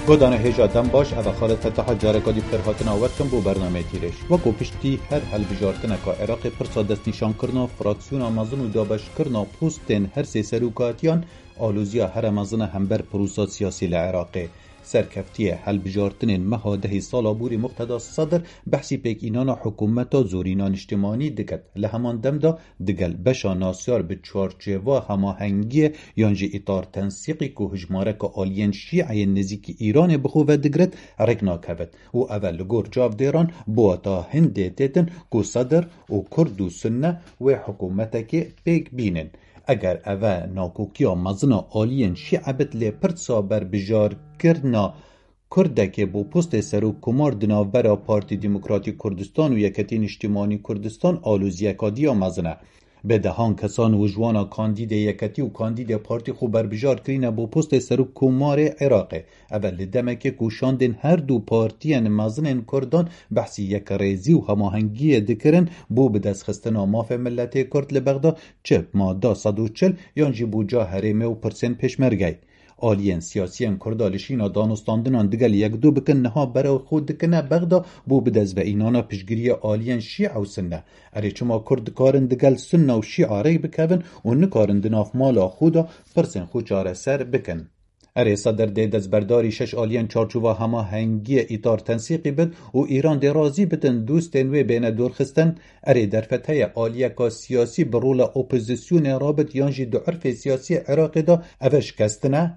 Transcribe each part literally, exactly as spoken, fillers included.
Godanê hêja dem baş, ev e Xalid Fetaha careka dî bi xêrhatina we dikim bo bernameyê Tîrêj. Weko piştî her hilbijartineka Iraqê pirsa destnîşankirina fraksiyona mezin û dabeşkirina postên her sê serokatiyan aloziya here mezin e hember prosa siyasî li Iraqê. Serkeftiyê hilbijartinên meha dehê sala borî Muqteda Sedr behsî pêkînana hikûmeta zorîna niştimanî diket. Li heman dem de digel beşa nasyar bi çarçêva hemahengiyê yan jî îtar tensîqî ku hijmareka aliyên şîeyên nêzîkî Îranê bi xwe ve digiret, rêk nakevin û ev e li gor çavdêran bi wata hindê têtin ku Sedr û Kurd û Sunne wê hikûmetekê pêk bînin. Eger ev e nakokiya mezin a aliyên şîe bit lê pirsa berbijarkirina Kurdekê bo postê serokkomar di navbera Partî Demokratîk Kurdistan û Yeketî Niştimanî Kurdistan aloziyeka diya mezin e. Bi dehan kesan û ji wana kandîdê Yeketî û kandîdê partî xwe berbijar kirîne bo postê serokkomarê Iraqê. Ev e li demekê ku şandên her du partiyên mezinên Kurdan behsî yekrêzî û hemahengiyê dikirin bo bidestxistina mafê miletê Kurd li Bexda, çi mada sed û çil yan jî bo ca herêmê û pirsên pêşmergeyê. Aliyên siyasiyên Kurda li şîna danûstandinan digel yekdu bikin, niha berew xwe dikine Bexda bo bidestveînana piştgiriyê aliyên Şîe û Sunne. Erê, çima Kurd dikarin digel Sunne û Şîa rêk bikevin û nikarin di nav mala xwe de pirsên xwe çareser bikin? Erê, Sedr dê destberdarî şeş aliyên çarçova hemahengiyê îtar tensîqî bit û Îran dê razî bitin dostên wê bêne dorxistin. Erê, derfet heye aliyeka siyasî bi rola opozisyonê rabit yan jî di urfê siyasî Iraqê de ev e şikestin e?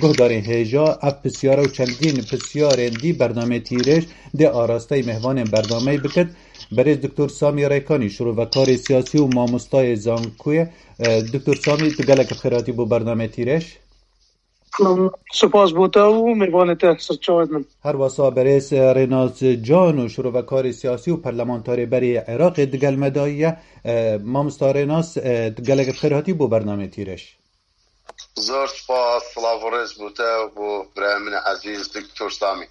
Guhdarên hêja, ev pisyare û çendîn pisyarên dî bernameyê Tîrêj dê arasteyî mêvanên bernameyê bikit. Berêz Doktor Samî Rêkanî, şirovekarê siyasî û mamostayê zankoyê. E, Doktor Samî, tu gelek bi xêr hatî bo bernameyê Tîrêj. Spas bo te û mêvanê te, serçavê min. Her wesa berêz, e, Rênas Can û şirovekarê siyasî û perlemantarê berê Iraqê digel me dayiye. E, mamosta Rênas, e, tu gelek bi xêr hatî bo bernameyê Tîrêj. Zor spas, silav û rêz bo te û bo birayê min ezîz Doktor Samî.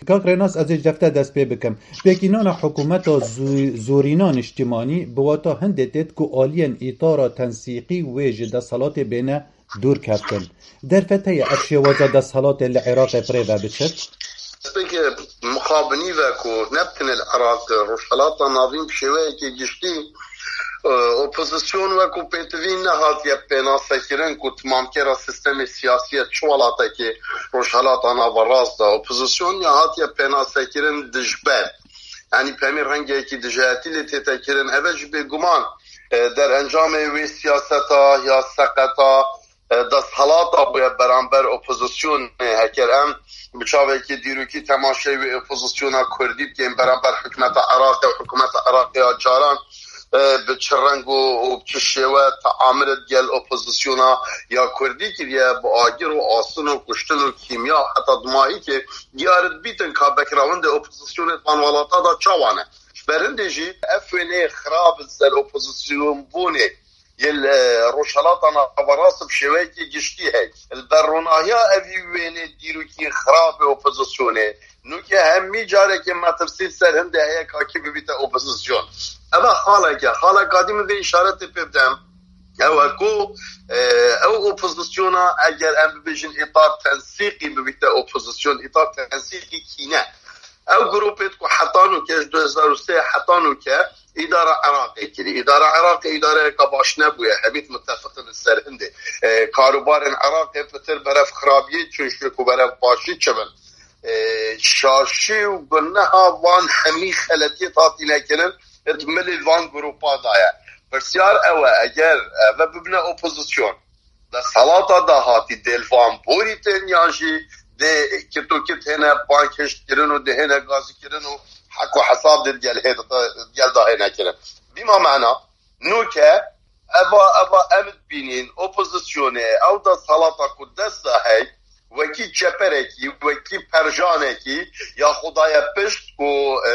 Kak Rênas, ez ê ji defte dest pê bikim. Pêkînana hikûmeta zu-, zorîna niştimanî bi wata hindê têt ku aliyên îtara tensîqî wê ji desthilatê bêne dûr keftin. Derfet heye ev şêwaza desthilatê li Iraqê bi rê ve biçit? Destpêkê mixabinî ve ku ne bi tenê li Iraq, Rojhelata Navîn bi şêweyekê giştî, e, opozisyon wekû pêtivî nehatiye pênasekirin ku timamkera sîstemê siyasî ye çi welatekê Rojhelata Naverast de. Opozisyon ya hatiye pênasekirin dijber. Yanî bi hemî rengekî dijayetî lê tête kirin. Ev e ji bêguman, e, derencamê wê siyaseta ya seqeta, e, desthilata bûye beramber opozisyonê. Heker em bi çavekî dîrokî temaşeyê wê opozisyona kurdî bikin beramber hikûmeta Iraqê û hikûmeta Iraqê ya caran, e, bi çi reng û, û bi çi şêwe teamilê digel opozisyona ya kurdî kiriye, bi agir û astin û kuştin û kîmya heta dimahîkê diyar dibîtin ka backgroundê opozisyonê di van welata de çawa ne. Ji ber hindê jî ev wêneyê xirab li ser opozisyonbûnê yê li Rojhelata Naverast bi şêweyekî giştî heye. Li ber ronahiya evî wênê dîrokî xirabê opozisyonê, nûke hemî carekê metirsî li ser hindê heye ka kî bibîte opozisyon. Ev e xaleke, xaleka dî min vê îşaretê pê bidem. Ew e ku, e, ew opozisyona eger em bibêjin îtar tensîqî bibîte opozisyon, îtar tensîqî kîne. Ew grûpê ku heta nûke ji du hezar û sê heta nûke îdara Iraqê kirî. Îdara Iraqê îdareyeka baş nebûye. Hemî mutefiqin li ser hindê. E, karûbarên Iraqê pitir berev xirabiyê çûn ji ku berev başî çi bin. E, şaşî û guneha van hemî xeletiyê hatîne kirin, di milê van grûpa de ye. Pirsyar ew e, eger ev bibine opozisyon, desthelata dahatî dê li van borî tên yan jî dê kit û kit hêne bankişt kirin û dê hêne gazî kirin û hek û hesab dê digel hê-, digel de hêne kirin. Bîma mena, nûke eva, eva em dibînin opozisyonê, ew desthelata ku dest de hey, wekî çeperekî, wekî perjanekî ya xwe daye pişt ku, e,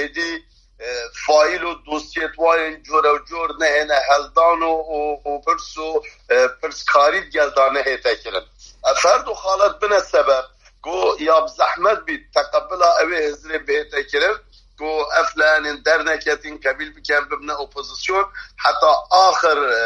êdî e, faîl û dosyê di warên cure û cor nehêne heldan û, û, û pirs û, e, pirskarî di gel de nehête kirin. Ev her du xalet bine sebeb ku ya bi zehmet bî teqebila ewê hizrê bihête kirin, ku ev layenên derneketîn qebîl bikin, bibine opozîsyon, heta axir, e,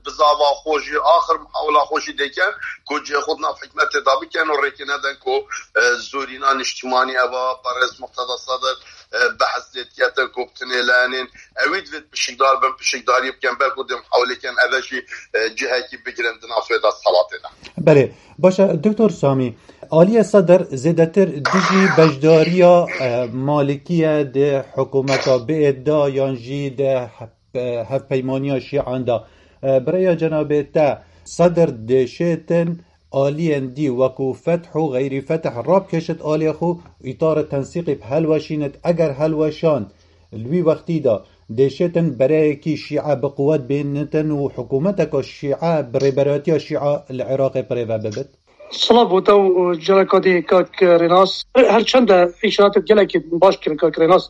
bizava xwe jî, axir muhawila xwe jî dêken, ku cihê xwe di nav hikûmetê de bikin û rêkê nedin ku, e, zorîna niştimanî eva berêz Muqteda Sedir, e, behs lê dikete ku bi tinê layenên ewî divêt pişikdar bin, pişikdarî bikin, belku dê muhawilê kin eve jî, e, cihekî bigirin di nav vê desthilatê de. Belê, baş e, Doktor Samî, Aliye Sedir zêdetir dijî beşdariya, e, Malikî ye di hikûmeta biêt de yan jî di he-, e, hevpeymaniya Şîan de. E, bi rêya cenabê te, Sedir dêşêtin aliyên dî wekû feth û xeyrî feth rabkêşit aliyê xwe, îtara tensîqî bi helweşînit, eger helweşan li wî wextî de dêşêtin bereyekî Şîe bi quwet bênitin û hikûmeteka Şîe bi rêberatiya Şîe li Iraqê birêve bibit? Silav bo te û careka dî kak Rênas. Her çend de îşaretê gelekî baş kirin kak Rênas,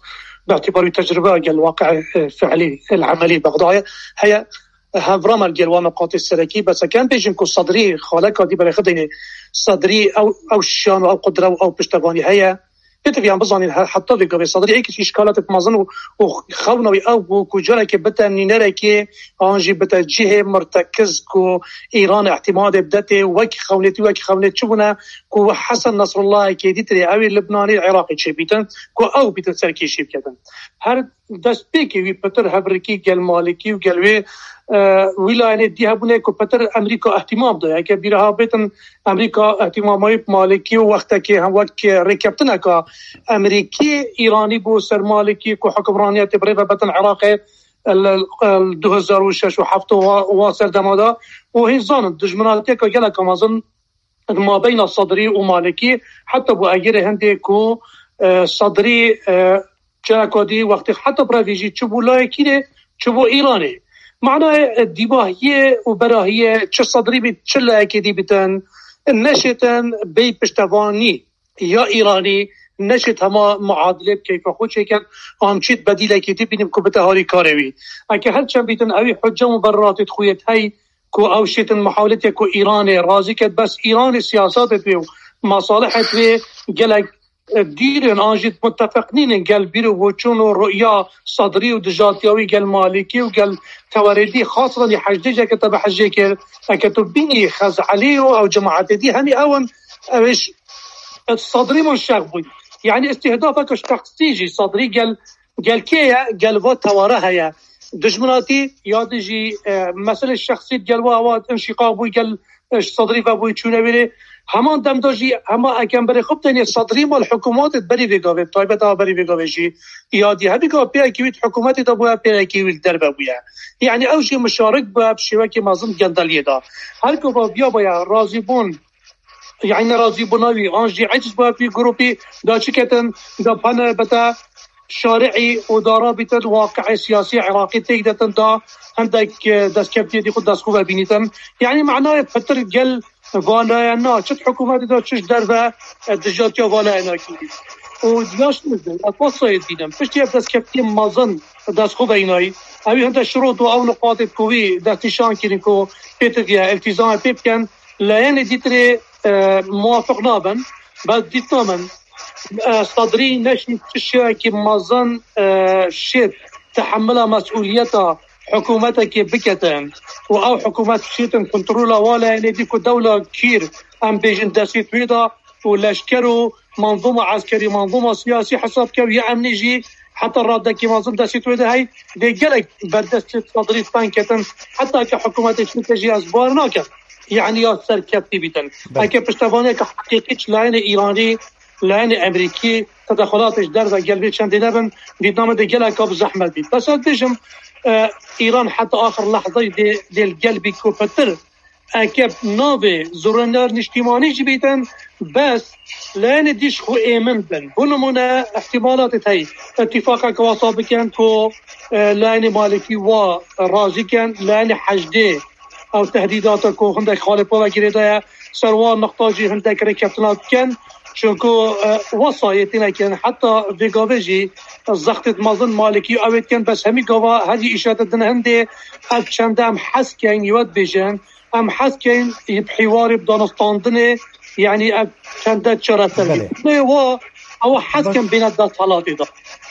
bi îtibar wî tecrube gel waqiê, e, fiilî, el emelî Bexdayê heye. Hevra me gel wa miqatê serekî, bes kem bêjin ku Sedrî xaleka dî berê xwe deyne. Sedrî ew, ew şan û ew qudre û ew piştevanî heye. Pêdiviyan bizanîn he-, heta vê gavê Sedrî êk îşkalatê mezin û, û xewna wî ew bû ku carekê bite nînerekê an jî bite cihê mirtekiz ku Îran îhtimadê bidetê wek xewnêtî, wek xewnêt çi bûne ku Hesen Nesrullahekê dîtirê ew ê Libnanê Iraqê çêbîtin ku ew bîtin serkêşî biketin. Her destpêkê wî pitir hevrikî gel Malikî û gel wê, e, wî layenê dî hebûne ku pitir Amerîka îhtimam daye. Eke bîra bêtin Amerîka îhtimamê bi Malikî û wextekê hem wek rêkeftineka Amerîkî Îranî bû ser Malikî ku hukimraniyetê bi rê ve betin Iraqê li, li du hezar û şeş û heft û wa, wa serdema de û hîn zanin dijminatiyeka geleka mezin di mabeyna Sedrî û Malikî heta bû egêrê hindê ku, e, Sedrî, e, Çereka dî wextê heta bi revî jî çi bû layekî rê, çi bû Îranê. Manayê, e, dîvahiyê û berahiyê çi Sedrî bît, çi layekê dî bitin, neşêtin bêy piştevanî ya Îranî, neşêt hema muadilê bi keyfa xwe çêkin, an çît bedîlekî dî bînin ku bite harî karê wî. Eke her çend bîtin ewî hicce û muberratê xwe yê hey ku ew şêtin muhawletê ku Îranê razî ket, bes Îranê siyasetê wê û masalihê wê gelek dîrên an jî mutefiq nînin gel bîr û boçûn û ruya Sedrî û dijatiya wî gel Malîkî û gel tewerê dî, xasatan jî Heşdê jî eke te bi Heşdê kir, eke tu bînî Xezalî û ew cemaetê dî hemî ew in, ew ê ş-, Sedrî min şex bûn. Yanî îstihdafeke şexsî jî Sedrî gel, gel kê ye? Gel va teware heye. Dijminatî ya dijî, e, meselê şexsî gel wa ewa înşîqaq bû gel, e, ji Sedrî ve bûyî çûne wêrê. Heman dem de jî hema ekem berê xwe bidênê Sedrî mal hikûmatê berî vê gavê, taybet a berî vê gavê jî ya dî hevî gav pêrekî wî di hikûmetê de bûye, pêrekî wî li derve bûye. Yanî ew jî mişarik bûye bi şêwekê mezin gendeliyê de. Her gava biya baya razîbûn, yanî nerazîbûna wî an jî eciz bûye bi wî grûpî da çi ketin, da pene bete şari'î û da rabîtin waqi'ê siyasî Iraqî têk detin da hindek, e, destkeftiyê dî xwe dest xwe ve bînîtin. Yanî manayê pitir gel vanayena çi di hikûmetê de çi ji derve, e, dijatiya vanayena kî. Û yaş nizin, e, pasayê dînin. Piştî ev destkeftiyê mezin dest xwe ve înayî. Ewî hinde şirot û ew nuqatê ku wî destnîşan kirin ku pê ti diye iltîzamê pê bikin, layenê dîtirê, e, muwafiq nabin. Bes dîtina min, e, Sedrî neşî çi şêwekî mezin, e, şêt tehemila mesûliyeta hikûmetekê biketin û ew hikûmet şêtin kontrola wa layenê dî ku dewla kîr, em bêjin destê wê de û leşker û manzûma eskerî, manzûma siyasî hesab ke û ya emnî jî heta radekî mezin destê wê de hey dê gelek berdestê Sedrî teng ketin, heta ke hikûmetê Tirkiye jî ez bar nakim. Yanî ya serkeftî bîtin. Belê. Eke piştevaniyeke heqîqî ji layenê Îranî, layenê Emerîkî, tedexulatê ji derve gel vê çendê nebin, dîtina min dê geleka bi zehmet bît. Bes ez bêjim, e, Îran heta axir lehzeyê dê, dê li gel bît ku pitir eke navê zorîner niştîmanî jî bîtin, bes layenê dî ji xwe êmin bin. Bo nimûne, îhtîmalatê heye îtîfaqeke wasa bikin ku, e, layenê Malikî wa razî kin, layenê Heşdê ew tehdîdata ku hindek xalê pê ve girêdaye, ser wan nixta jî hindek rêkeftina bikin. Çunku, e, wesa yê têne kirin. Heta vê gavê jî zextê mezin Malikî ew ê dikin, bes hemî gava herî îşete din hindê ev çende em hez keyn, yê we dibêjin, em hez keyn, bi hîwarê, bi danûstandinê, yanî ev çende çareser bî. Belê. Lê wa, ewa hez ken bêne desthilatê de.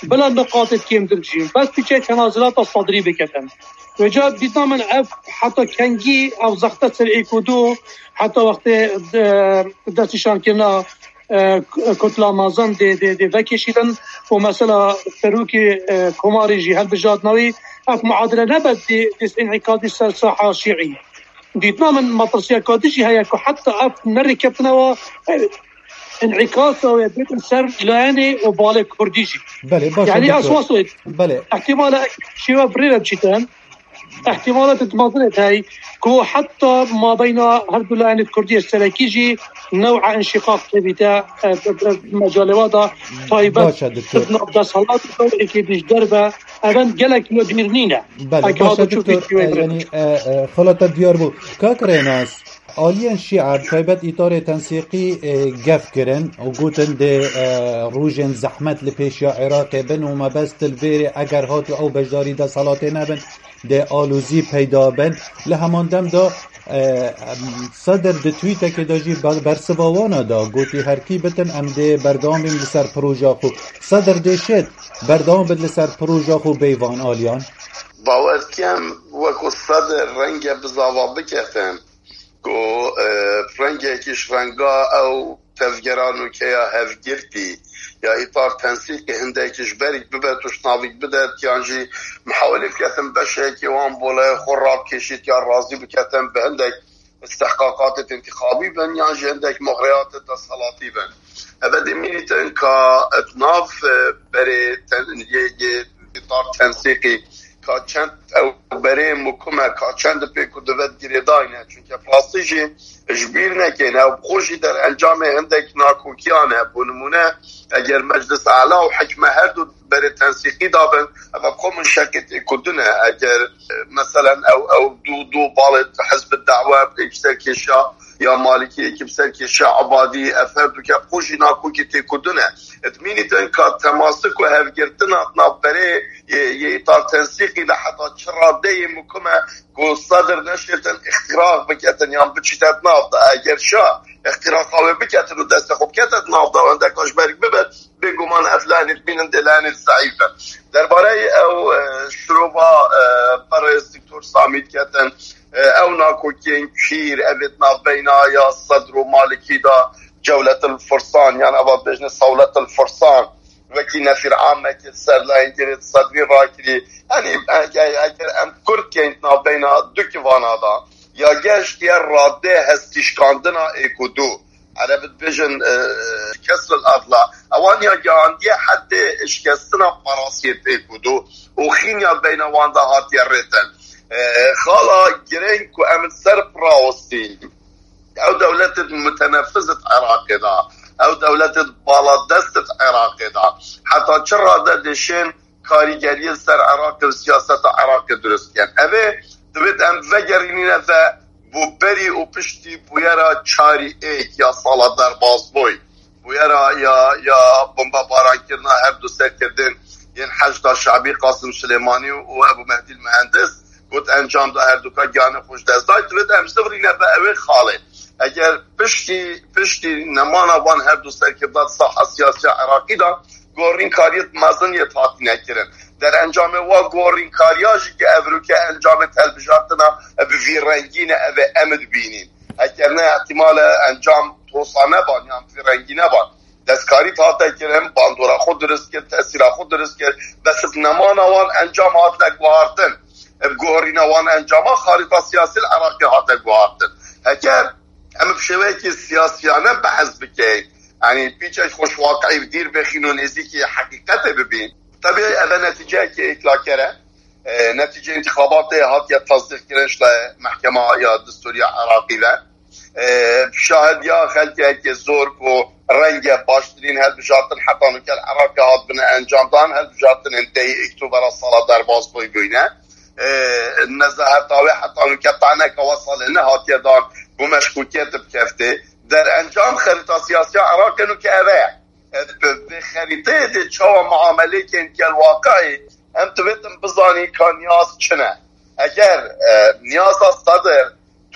Bila niqatê kêmtir jî. Bes piçek tenazulata Sadrî biketin. Vêca dîtina min ev heta kengî ev zexte ser êk û du, heta wextê, e, destnîşankirina, e, k-, kutla mezin dê, dê, dê vekişîtin û mesela serokê, e, komarê jî hilbijartina wî, ev muadile nebe dê, dê înîkadî ser saha şîî. Dîtina min metirsiyeka din jî heye ku heta ev nerêkeftina wa, e, înîkasa wê bêtin ser layenê û balê kurdî jî. Belê, baş e, Yanî doktor. Esas e. Belê. Ehtimale şêwe bi rê re biçîtin. Ehtimalatê mezin heye ku heta mabeyna her du layenê kurdî yê serekî jî new'a înşîqaq têbîte, e, e, e, mecalê wa da taybet Baş e, doktor. Di nav desthilat û êkê dî ji derve. Ev em gelek me bîr nîne. Belê, Heke baş e, hata doktor. Çûkê E, yanî, e, e, xala te diyar bû. Kak Rênas, aliyên şîa, taybet îtarê tensîqî, e, gef kirin û gotin dê, e, rojên zehmet li pêşiya Iraqê bin û mebest li vêrê eger hat û ew beşdarî desthilatê nebin, dê alozî peyda bin. Li heman dem de, e, em, Sedir di twîtekê de jî ber-, bersiva wana da. Gotî herkî bitin em dê berdewam bîn li ser proja xwe. Sedir dê şêt berdewam bit li ser proja xwe bêvan aliyan. Bawer dikim, wekû Sedir renge bizava biketin ku, e, rengekî ji renga ew tevgera nûke ya hevgirtî ya îtar tensîqê hindekî ji berî bibe û ji navîk bidet, yan jî mihawelê biketin beşekî wan bolê xwe rabikêşît ya razî biketin bi hindek istihqaqatê întîxabî bin, yan jî hindek moxreyatê desthilatî bin. Eve demînîtin ka di nav, e, berê ten-, yê, yê îtar tensîqî ka çend ew berê mukim e, ka çend pêk û divet girêdayî ne. Çunke bi rastî jî ji bîr nekin, ew bi xwe jî derencamê hindek nakokiyan e. Bo nimûne, eger Meclis Ala û Hikme her du berê tensîqî dabin, ev bi xwe min şekê têkurdin e. Eger, e, meselen ew, ew du, du balê Hizb Da'we êk bi ser kêşa ya Malikî, êkî bi ser kêşa Ebadî, ev her du ke bi xwe jî nakokî têkurdin e. Dimînîtin ka temasik û hevgirtina di nav berê yê, yê îtar tensîqî de heta çi radeyê mukim e ku Sedir neşêtin îxtîraq biketin yan biçîte di nav de. Eger şa îxtîraqa wê biketin û destê xwe bikete di nav de û hindeka ji berî bibe, bêguman ev lenî dibînin dê lenî zeîf e. Derbareyê ew, e, şirova, e, berêz Doktor Samî diketin, e, ew nakokiyên kîr, ev ê di navbeyna ya Sedr û Malikî de Cewletil Fursan, yan eva dibêjne Sewletil Fursan, wekî nefîr amekê ser layengirê Sedrî rakirî. Yanî, eger, eger em kurt keyn di navbeyna du kivana de, ya geştiye radê hestîşkandina êk û du. Ereb dibêjin, e, kesril adla. Ewan ya gihandiye hedê şikestina parasiyê êk û du û xînya beyna wan de hatiye rêtin. E, xala girêng ku em li ser birawestîn. Ew dewletê mutenefiz di Iraqê de, ew dewletê baladest di Iraqê de. Heta çi rade dêşên karîgeriyê li ser Iraqê û siyaseta Iraqê dirust dikin. Ev ê divêt em vegerînîne ve bo berî û piştî bûyera çarî êk ya sala derbasbûyî. Bûyera ya, ya bombebarankirina her du serkirdên yên Heşda Şebî Qasim Silêmanî û Ebû Mehdî Muhendis got encam da her duka giyanê xwe ji dest dayî. Divêt em zivirîne ve ew ê xalê. Eger piştî, piştî nemana van her du serkirda di saha siyasiya Iraqî de gorînkariyê mezin yê hatine kirin. Derencamê wa gorînkariya jî ki evroke encamê telbijartina bi vî rengî ne, ev ê em dibînîn. Eger ne, ihtimale encam tosa neban yan vî rengî neban. Destkarî hate kirin, bandora xwe dirist kir, tesîra xwe dirist kir. Bes bi nemana wan encam hatine guhartin. Bi guherîna wan encama xarîta siyasî li Iraqê hate guhartin. Heger em bi şêweyekî siyasiyane behs bikeyin, yanî pîçek xwe ji waqiî bi dîr bixîn û nêzîkî heqîqetê bibîn, tebî ev e netîceyekî êklaker e. E, netîcê întîxabatê hatiye tasdîqkirin ji lê Mehkema ya Distûrî ya Iraqî ve. E, şahidiya xelkekê zor ku renge baştirîn hilbijartin heta nûke li Iraqê hatibine encamdan, hilbijartinên dehê Oktobera sala derbasbûyî bûyne. E, nezaheta wê heta nûke taneka wesa lê nehatiye dan, bû meşkûkiyet bi keftê. Derencam xerîta siyasiya Iraqê nûke ev e. E, bi, bi xerîteyê dê çawa muamelê kên gel waqayê, em divêtin bizanî ka niyaz çi ne. Eger, e, niyaza Sedir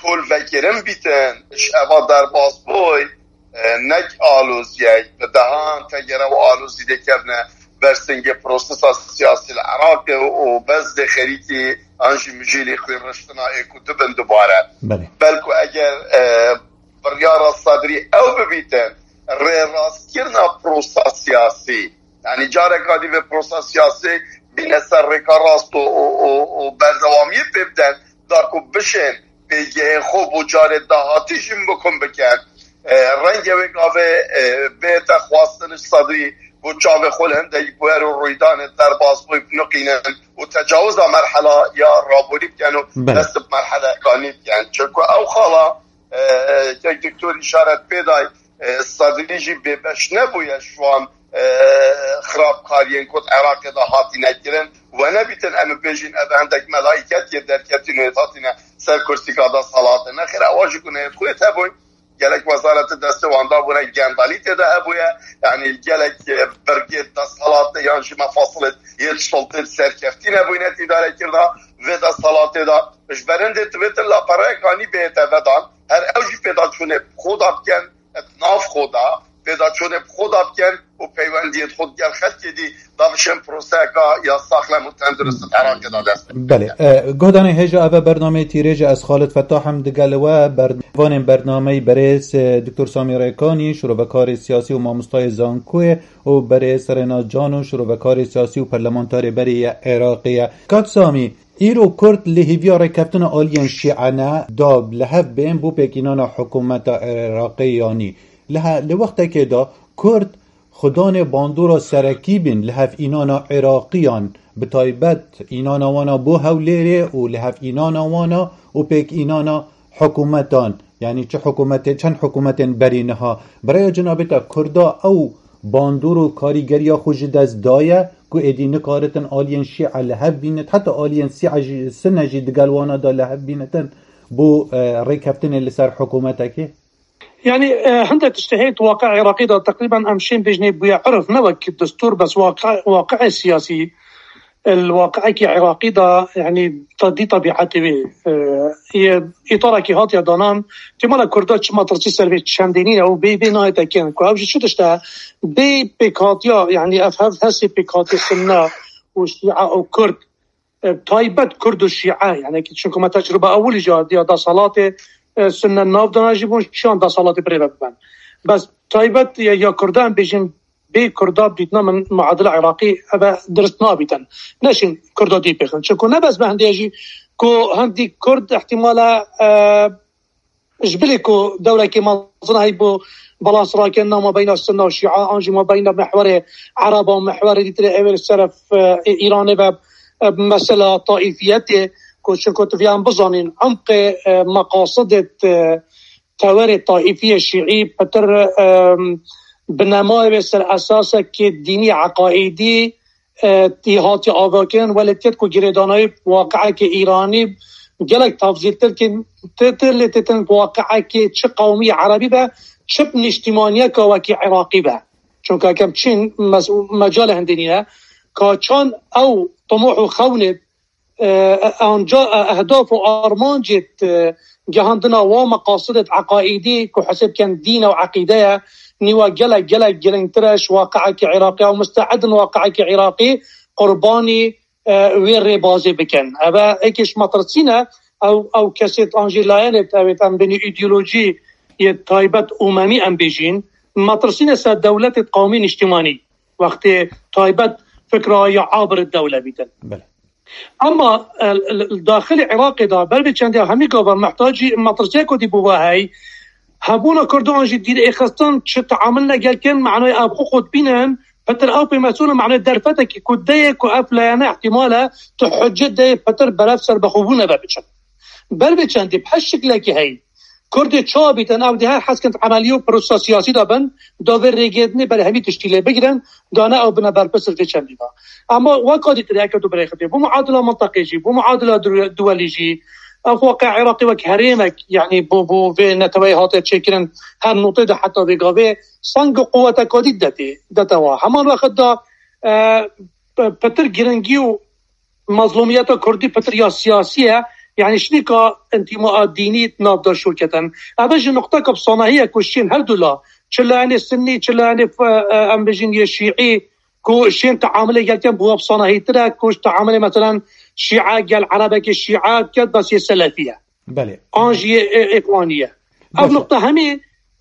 tolvekirin bîtin, ji eva derbas bûy, e, nek aloziyek, bi dehan tegere û alozî dê kevne, bersingê prosesa siyasî li Iraqê û Bezdê xerîkî an jî mijîlî xwînriştina ê ku dibin dubare. Belê. Belku eger, e, biryara Sedrî ew bibîtin, rêrastkirina prosa siyasî, yanî careka dî vê prosa siyasî bîne ser rêka rast û, û, û, û berdewamiyê pê biden, da ku bişên pêgehên xwe bo carê dahatî jî mimkun bikin. E, renge wê gavê, e, bête xwestin ji Sedrî ku çavê xwe li hindek bûyer û rûydanê derbasbûyî biniqînin û tecawiza merhela ya rabûrî bikin û Belê. dest bi merheleka nî bikin. Çunku ew xala, e, e, kek doktor îşaret pê day, e, Sedrî jî bêbeş nebûye ji wan, e, xirabkariyên ku di Iraqê de hatîne kirin. We nebîtin em bibêjin ev hindek melaîket yê derketîn û yê hatîne ser kursîka desthilatê. Nexêr, ewa jî ku neyê xwe hebûn. Gelek wezareti destê wan dabûne, gendalî tê de hebûye. Yanî gelek, e, birgê desthilatê yan jî mefasilê yê sultê serkeftî nebûyne îdarekirina vê desthilatê de. Ji berindê divêtin lapereyeka nî bihête vedan. Her ew jî pêdaçûnê bi xwe de bikin, di nav xwe de pêdaçûnê bi xwe de bikin û peywendiyê xwe digel xelkê dî da bişên proseyeka ya saxlem û tendurist di Iraqê de dest pê Belê. bikin. E, guhdarên hêja, eve bernameyê Tîrêj e, ez Xalid Fetah im, digel we ber-, vanên bernameyî berêz, e, Doktor Samî Rêkanî, şirovekarê siyasî û mamostayê zankoyê û berêz Rêna Cano, şirovekarê siyasî û perlemantarê berê ye Iraqê ye. Kak Samî, Îro Kurd li hêviya rêkeftina aliyên Şîane da li hev bên bo pêkînana hikûmeta Iraqê yanî. Li he-, li wextekê de Kurd xudanê bandora serekî bîn li hev înana Iraqiyan, bi taybet înana wana bo Hewlêrê û li hev înana wana û pêk înana hikûmetan, yanî çi hikûmetê, çend hikûmetên berî niha. Bi rêya cenabê te Kurda ew bandor û karîgeriya xwe ji dest daye ku êdî nikaritin aliyên Şîe li hev bînit, heta aliyên Sîe jî, Sine jî digel wana de li hev bînitin bo, e, rêkeftinê li ser hikûmetekê? Yanî, e, hindek tiştê heye di waqi'a Iraqê de teqrîben em şên bêjinê bûye urf, ne wek destûr, bes waqi-, waqi'ê siyasî, e, li waqi'ekî Iraqî de, yanî, te-, dî tebîetê wê, e, yê îtarekî hatiye danan, têmala Kurda çima tirsî ser vê çendê nîne û bê, bê nayê tekin, ku ev jî çi tişt e? Bê pêkhatiya, yanî ev hev hestê pêkhatiya Sunne û Şîe û Kurd, e, taybet Kurd û Şîe, yanî ki çunku me tecrûba ewilî jî hatiye desthilatê, e, Sunne navdana jî bûn, çiyan desthilatê birêve biben. Bes taybet ya, ya Kurda em bêjin, bê Kurda dîtina min muadila Iraqî eve dirist nabîtin. Neşin Kurda dî pêxin. Çunku ne bes bi hindê jî ku hindî Kurd ihtimale, e, ji bilî ku dewlekê mezin heyî bo balans rakirina mabeyna Sunna û Şîa, an jî mabeyna mihwerê Ereba û mihwerê dîtirê ewê li ser, e, Îranê ve, e, mesela taîfiyetê, ku çunku tu viyan bizanîn, emqê, e, meqasidê, e, tewerê taîfiyê şîî pitir, e, binemayê wê ser esasekê dînî, eqaîdî, e, tî hatiye avakirin, welê têt ku girêdanayî waqi'ekê Îranî gelek tafzîltir kî tê, tê lê têtin waqi'ekê çi qewmî erebî be, çi niştimaniyeka wekî Iraqî be. Çunka kem çin mes-, mecalê hindê nîne, ka çan ew timoh û xewnê, e, anca, e, ehdaf û armancê, e, gehandina wa meqasidê eqaîdî ku hesê bikin dîn û eqîde ye, nîwa gelek, gelek girîngtir e ji waqi'ekî Iraqî ew muste'id in waqi'ekî Iraqî qurbanî, e, wê rêbazê bikin. Eve êkê ji me tirsîne, ew, ew kesê an jî layenê, ew ê em bênî îdeolojî yê taybet umemî em bêjîn, me tirsîne ser dewletê qewmî niştimanî, wextê taybet fikra ya abir dewle bîtin. Belê. Ama, e, li, li daxilê Iraqê de, ber vê çendê hemî gava mehtacî metirsiyeko dî bûva hey. Hebûna Kurdan jî dîr êxistin çi teamil ne gelkin, manayê ev xwe xwe dibînin, pitir ew pê mesûl in, manayê derfetekî ku deyê ku ev layene ihtimal e, tu hicet deyê pitir berev ser bixwebûne ve biçin. Ber vê çendê bi her şiklekî hey. Kurdê çawa bîtin, ew dê her heskin emelî û prosa siyasî de bin, da vê rêgêdinê ber hemî tiştî lê bigirin, da ne ew bine berpirsir vê çendî de. Ama weka dîtir heke tu birêxitê, bo muadila minteqê jî, bo muadila du-, duwelî jî, ev waqe Iraqê wek herêmek, yanî bo, bo vê neteweyê hate çêkirin, her notê de heta vê gavê, seng û quweteka dî detê, dete wa. Heman wexit de, e, pe-, petir giringî û mezlûmiyeta Kurdî pitir ya siyasî ye, yanî şinîka întîmaa dînî di nav de şûr ketin. Ev e jî nuqteka bi sanahî ye ku şên her du la, çi layenê Sinnî, çi layenê, e, em bijîn yê Şîî, ku şên teamilê gel ken bi wapsana hêtir e, ku ji teamilê, meselen, şîe gel erebekê şîe ket, bes yê selefî ye. Belê. An jî yê ê-, îxwanî ye. Ev Baş e. Nuqte hemî,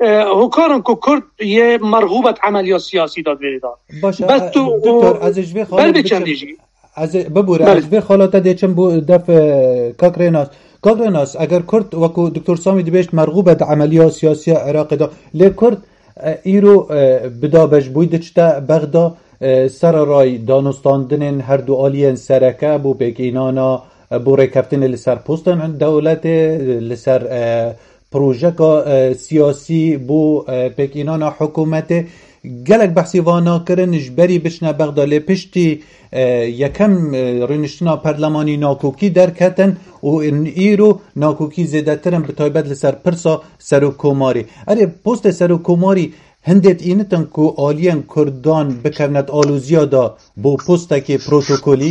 e, hokarin ku Kurd yê merhûbet emeliya siyasî da di vêrê de. Baş e, Bes e, tu doktor, ez ê ji vê xalê ber bê biçim. Çendê jî. Ez ê, bibûre, Belê. Ez ji vê xala te dê çim bo def, e, Kak Rênas. Kak Rênas, eger Kurd, wekû Doktor Samî dibêjt, merhûb e di emeliya siyasiya Iraqê de. Lê Kurd, e, îro, e, bi dabeşbûyî diçite Bexda, e, sererayî danûstandinên her du aliyên sereke bo pêkînana, e, bo rêkeftinê li ser postên dewletê, e, li ser, e, projeka, e, siyasî bo, e, pêkînana hikûmetê. Gelek behsî van nakirin, ji berî biçine Bexda, lê piştî, e, yekem, e, rûniştina perlemanî nakokî derketin û in îro nakokî zêdetir in, bi taybet li ser pirsa serokkomarî. Erê, postê serokkomarî hindê dînitin ku aliyên Kurdan bikevnet aloziya de bo postekê protokolî?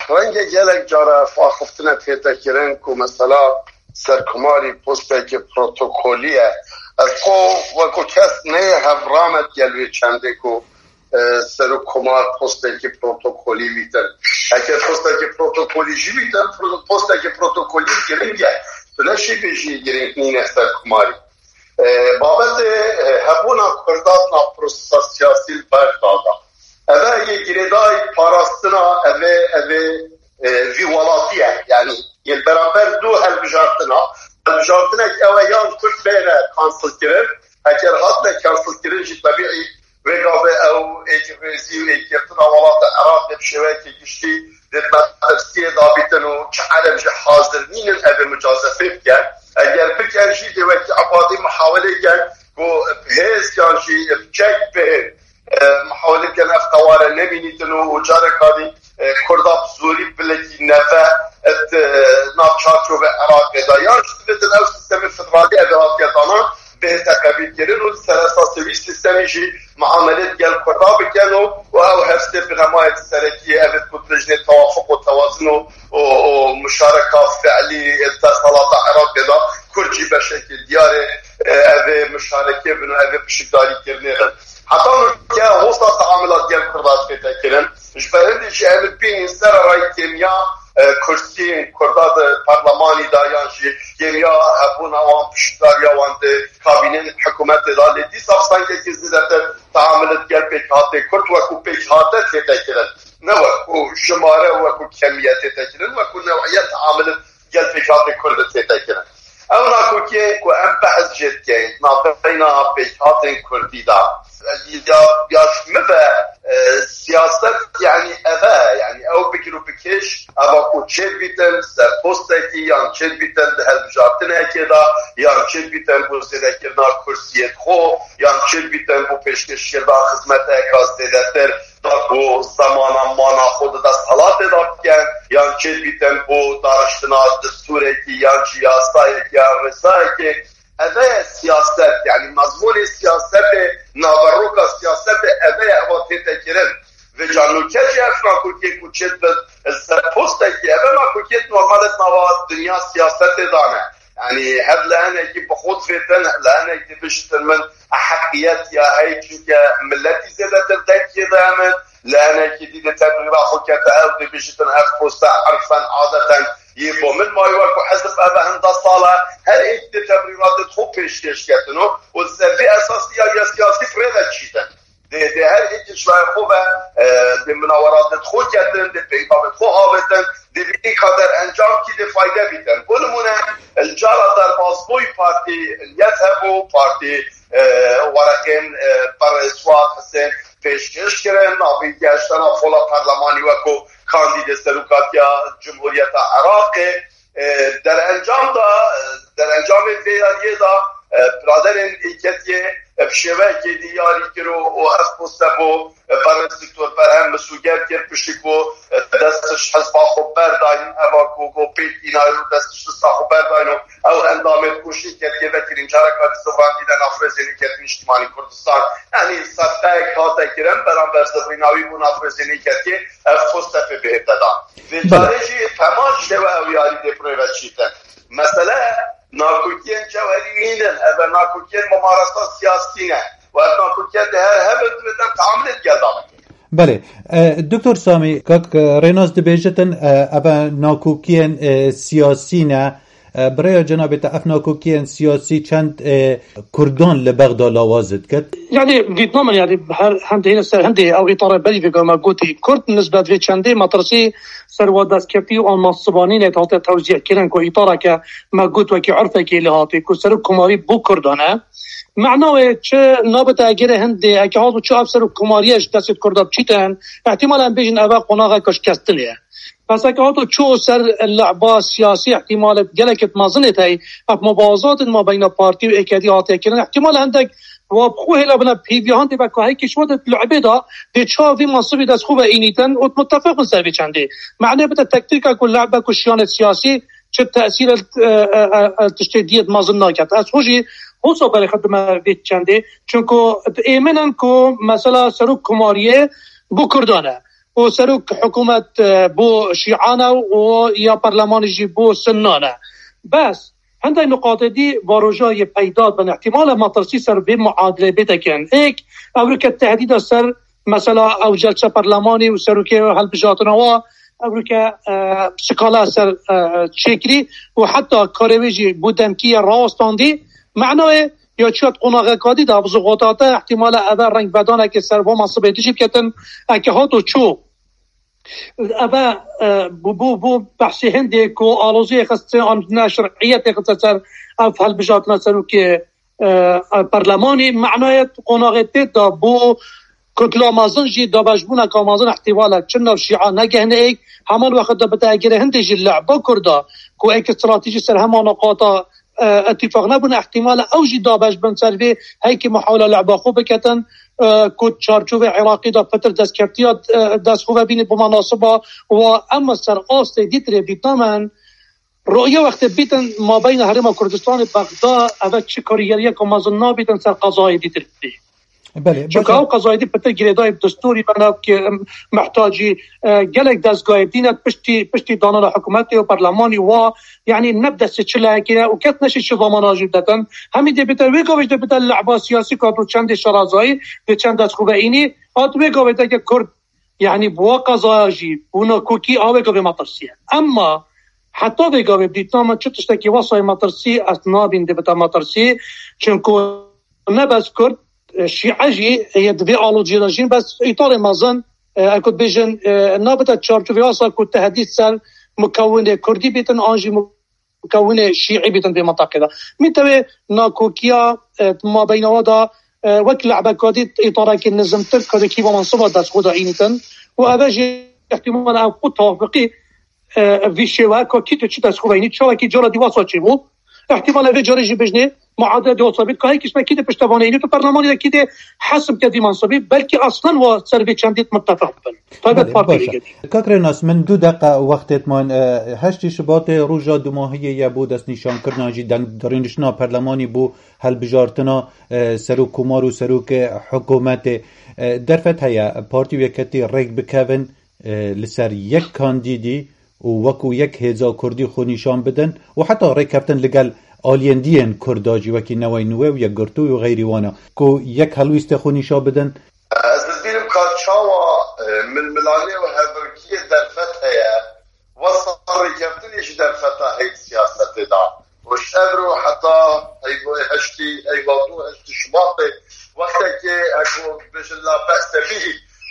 Renge gelek cara ev axiftina tête kirin ku mesela serkomarî postekî protokolî ye. Ez xwe wekû kes neyê hev ramet gel wê çendê ku, e, serokkomar postekî protokolî bîtin. Eger postekî protokolî jî bîtin, pro-, postekî protokolî giring e. Tu neşî bêjî giring nîne serkomarî. E, babetê, e, hebûna Kurdan na prosesa siyasî li Bexda de. Ev e yê girêdayî parastina ev ê, ev ê, e, vî welatî ye. Yanî yê li beramber du helbijartina, helbijartinek ew e yan Kurd bêne kansilkirin, eger hatine kansilkirin jî tebîî vê gavê ew êkî rêzî û êkî girtina welata Iraqê bi şêweyekî giştî dê metirsiyê dabîtin û çi ereb jî hazir nînin ev ê mucazefê bikin. Eger bikin jî dê wekî Ebadî muhawelê ken ku bi hêz yan jî bi çek bihên, e, muhawelê bikin ev qeware nemînîtin û, û careka dî, e, Kurda bi zorî bilekî neve et, e, nav çarçove Iraqê de. Yan jî dibêtin ew sîstemê federalî ev ê hatiye danan, bihête qebîlkirin û li ser esasê wî sîstemî jî muamelê digel Kurda bikin û, û ew hevsê binemayê serekî ev ê ku dijnê tewafuq û tewazin û, û, û muşareka fiilî ê desthilata Iraqê de Kurd jî beşekî diyar ê, e, ev ê muşarekê bin û ev ê pişikdarîkirinê bin. Heta nûke hosta teamila digel Kurda tête kirin. Ji ber hindê jî em ê bînin sererayî kêmiya, e, kursiyên Kurda di parlemanî de yan jî kêmiya hebûna wan, pişikdariya wan di kabînên hikûmetê de. Lê dîsa bi sengekî zêdetir teamilê digel pêkhatê Kurd wekû pêkhate tête kirin. Ne wekû jimare, wekû kemiyet tête kirin, wekû newiyet teamilê gel pêkhatê Kurd tête kirin. Ew nakokiyên ku em behs jê dikin, navbeyna pêkhatên Kurdî de. Ya, ya ji min ve, e, siyaset, yanî ev e, yanî ew bigir û bikêş, eva ku çêdibîtin ser postekî, yan çêdibîtin di hilbijartinekê de, yan çêdibîtin bo zêdekirina kursiyê xwe, yan çêdibîtin bo pêşkêşkirina xizmeteka zêdetir, da ku zemana mana xwe di desthilatê de bikin, yan çêdibîtin bo dariştina destûrekî, yan jî yasayekî, yan rêzayekê. Ev e siyaset, yanî mezmûnê siyasetê, naveroka siyasetê ev e, eva tête kirin. Vêca nûke jî ev nakokiyê ku çêdibin li ser postekî, ev e nakokiyê normalê di nava dinya siyasetê de ne. Yanî hev li hinekî bi xwe divêtin, li hinek dibêjin min heqiyet ya hey, çunke miletî zêdetir dengê de min, li hinekî dî de tebrîra xwe kete ew dibêjin ev poste irfen adeten yê bo min mayî, wek ku hizb ev e hinda sal e, her êk dê tebrîratê xwe pêşkêş ketin û, û li ser vî esasî ya, ya siyasî bi rê ve diçîtin. Dê, dê her êkê ji layê xwe ve, e, dê minaweratê xwe ketin, dê peyvavê xwe avêtin, dê bînin ka derencam kî dê fayde bîtin. Bo nimûne, li cara derbasbûyî partî Yet hebû, partî, e, wereqên, e, berê Suad Hisên pêşkêş kirin, navî geştana fola perlemanî wekû kandîdê serokatiya Cumhuriyeta Iraqê. E, derencam da, e, derencamên vê yariyê da, e, biraderên Êketiyê, e, bi şêweyekê diyarî kir û, û ev poste bo, e, berêz Doktor Berhem Misûger kir, piştî ku, e, dest ji hizba xwe berdayîn, eva ku, ku pêk înayo dest ji lista xwe berdayîn û ew endamên ku ji Êketiyê ve kirîn, careka dî zivrandî de nafrêzên Êketî Niştimanî Kurdistan. Yanî sefqeyek hate kirin, beramber zivrîna wî bû nafrêzên Êketiyê, ev poste pê bihête dan. Vê Belê. Carê jî heman şêwe ew yarî dê bi rê ve çîtin. Mesele nakokiyên cewherî nînin, ev e nakokiyên mumaresa siyasî ne. Û ev nakokiyên dê her hebin, divêtin teamilê digel de bikin. Belê. E, Doktor Samî, kak, e, Rênas dibêjitin, e, eve nakokiyên, e, siyasî ne. E, bi rêya cenabê te ev nakokiyên siyasî çend, e, Kurdan li Bexda lawaz dikit? Yani, dîtina min, yani, her hindê hene ser hindê ew îtara berî vê me gotî, Kurd nisbet vê çendê metirsî ser wa destkeftî û anmansibonî ne hate tewzîh kirin ku îtara ke me got wekî urfekê lê hatî ku serok komarî bo Kurdan e. Mena wê çi nabite egere hindê, eke hat û çi ev serok komariye ji destê Kurda biçîtin, ihtimal em bêjin eve qonaxeke şikestinê ye. Bes eke hat û çû ser leba siyasî, ihtimalê gelekê mezin ê tey, ev mubazatin ma beyna partî û êkedî hatiye kirin. Ihtimal hindek wa bi xwe hêla bine pêviya hindê be ka hekî şiwa de lehbê da dê çav vî mansibî dest xwe ve înîtin û muttefeq bin ser vê çendê. Mane bide tektîka ku lehbe ku şiyanê siyasî çi tesîr e, e, e, e, tiştê diyet mezin naket. Ez xwe jî hosa berê xwe dime vê çendê. Çunku êmin in ku mesela serok komariyê bo Kurdan e. û serok hikûmet, e, bo Şîan e û ya perlemanî jî bo Sunnan e. Bes, hindek nuqatê dî varoja yê peyda bin. Îhtimal e metirsî ser vê muadilê bê tekin. Êk, ewrike tehdîda ser mesela ew celsa perlemanî û serokê hilbijartina wa, ewrike, e, skala ser, e, çêkirî û heta karê wê jî bo demkî ye rawestandî. Manayê ya çiya di qonaxeka dî de, bi zixota te, ihtimale eve rengvedanekê ser va masibê dijî biketin, eke hat û çû. Eve, e, bû, bû, bû behsê hindê ku aloziyê xiste an neşriyetê xiste ser ev hilbijartina serokê, e, e, perlemanî, manayê qonaxê tê de bû kutla mezin jî dabeşbûneka mezin ihtimale çi nav şîa negehne êk, heman wexta de bite egere hindê jî lehba Kurda ku êk stratejî ser hema naqata e, îtîfaq nebûne, ihtimale ew jî dabeş bin ser vê heyekî muhawila lehba xwe biketin, e, ku çarçovê Iraqî de pitir destkeftiya, e, dest xwe vebîne bi menasiba wa em ser astê dîtirê bîtnamen. Roye wextê bîtin mabeyna Herêma Kurdistanê Bexda eve çi karîgeriyeka mezin nabîtin ser qezayê dîtirî. Belê, Çunka baş e. Ew qezayê dî pitir girêdayî bi destûrî bena ki, em, mihtacî, e, gelek dezgahê dîn e piştî, piştî danana hikûmetê û perlemanî wa, yanî ne bi destê çi lehekî ne û kes neşî çi zamana jî detin. Hemî dê bite, wê gavê jî dê bite lehba siyasî ka tu çendê şerazayî, dê çend dest xwe ve înî, hat wê gavê de ke Kurd, yanî bi wa qezaya jî, bûna kokî a wê gavê metirsî ye. Emma heta vê gavê bi dîtina me çi tiştekî wesayê metirsî, ez nabîn dê bite metirsî, çunku ne bes Kurd, e, Şîe jî yê di vê alociyê de jîn, bes îtarê mezin, e, eku dibêjin, e, nabite çarçovê wasa ku tehdît ser mukewinê Kurdî bîtin, an jî mukewinê Şîî bîtin vê mintaqê de. Mîtewê nakokiya, e, mabeyna wa da, e, wek lehbeka dî îtarekî nizimtir ku di kîva mensiba dest xwe de înîtin û eve jî ihtimal ev xwe tafiqî e, vî şêwe ka kî tu çi dest xwe veynî, çawekî cara dî wasa çêbû. Îhtimal e vê carê jî bijnê muadele dê wasa bît, ka hekî ji me kî dê piştevanê înî tu perlemanî de kî dê hesib ke vî mansibî, belkî aslan wa ser vê çendî muttefeq bin. Taybet Belê, partî baş e. Kak Rênas, min du deqa wextê man, e, heştê Şibatê roja dumahiyê ye bo destnîşankirina jî dengdarîniştina perlemanî bo helbijartina, e, serokkomar û serokê hikûmetê. E, derfet heye, partî û yeketî rêk bikevin, e, li ser yek kandîdî û wekû yek hêza kurdî xwe nîşan bidin û heta rêkeftin li gel aliyên dî yên kurda jî wekî Neway Nûwe û Yekgirtû û xeyrî wana ku yek helwîstê xwe nîşan bidin. Ez dibînim ka çawa, e, milmilanê û hevirkiyê derfet heye, wesa rêkeftinê jî derfeta heyî siyasetê da. Û ji evro heta heyva heştî, heyva du heştî Şubatê, wextekê heko bêjin la be'se bî,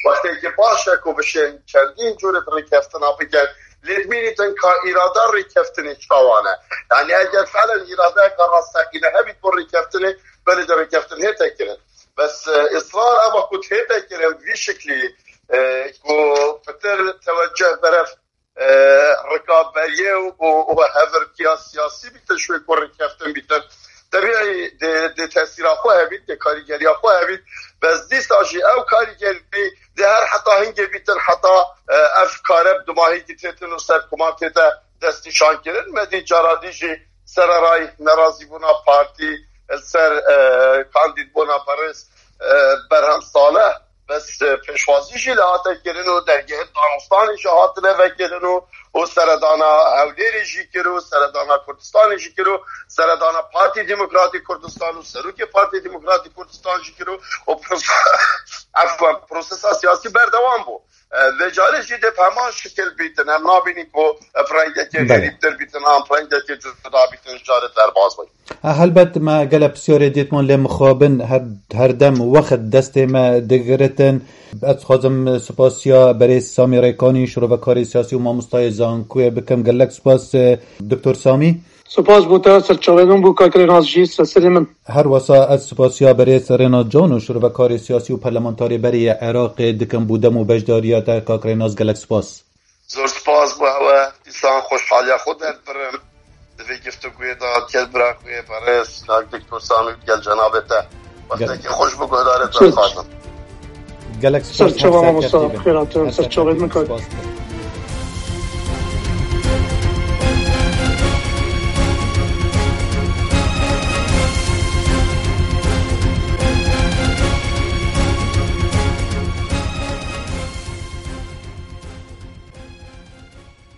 wextekê baş e ku bişên çendîn curê rêkeftina bikin, lê dimînîtin ka îrada rêkeftinê çawa ne. Yanî eger felen îradeyeka rasteqîne hebît bo rêkeftinê, belê de rêkeftin hête kirin. Bes, e, israr eva ku hête kirin vî şiklî, e, ku pitir teweceh berev e, rikaberiyê û, û, û hevirkiya siyasî bîtin, ji wê ku rêkeftin bîtin. Tebîî dê, dê tesîra xwe hebît, dê karîgeriya xwe hebît. Bes dîsa jî ew karîgerî dê her heta hingê bîtin, heta, e, ev kare bi dumahî dîtêtin û serkoma tête destnîşankirin. Me dî cara dî jî sereray nerazîbûna partî li ser, e, kandîdbûna berêz, e, Berhem Salih. Bes, e, pêşwazî jî li hate kirin û dergehê danostanê jî hatine vekirin û û seredana Hewlêrê jî kir û seredana Kurdistanê jî kir û seredana Partî Demokratîk Kurdistan û serokê Partî Demokratîk Kurdistan jî kir û, û prose-, efwen, prosesa siyasî berdewam bû. E, vê carê jî dê bi heman şikil bîtin. Em nabînin ku, e, bi rengekê Belê. xerîbtir bîtin, an bi rengekê cuda bîtin, ji carê derbas bîn. E, helbet me gelek pisyarê dîtman lê mixabin her, her dem wext destê me digiritin. Ez dixwazim spasiya berêz Samî Rêkanî, şirovekarê siyasî û mamostayê zankuyê bikim. Gelek spas, e, Doktor Samî. Spas bo te, serçavê min bû, kak Rênas jî, serserê min. Her wesa ez spasiya berêz Rênas Can û şirovekarê siyasî û parlamentarê berê yê Iraqê dikim bo dem û beşdariya te, kak Rênas, gelek spas. Zor spas bo ewe, dîsan xweşhaliya xwe derdibirim. Di vê giftuguyê de, gel bira xwe yê berêz, kak Doktor Samî, gel cenabê te. Wextekî xweş bo guhdarê te dixwazim. Gelek spas, Serçava her mamosta, serkeftin. Xêra te, Her serçavê serkeftin, min kak. Spas.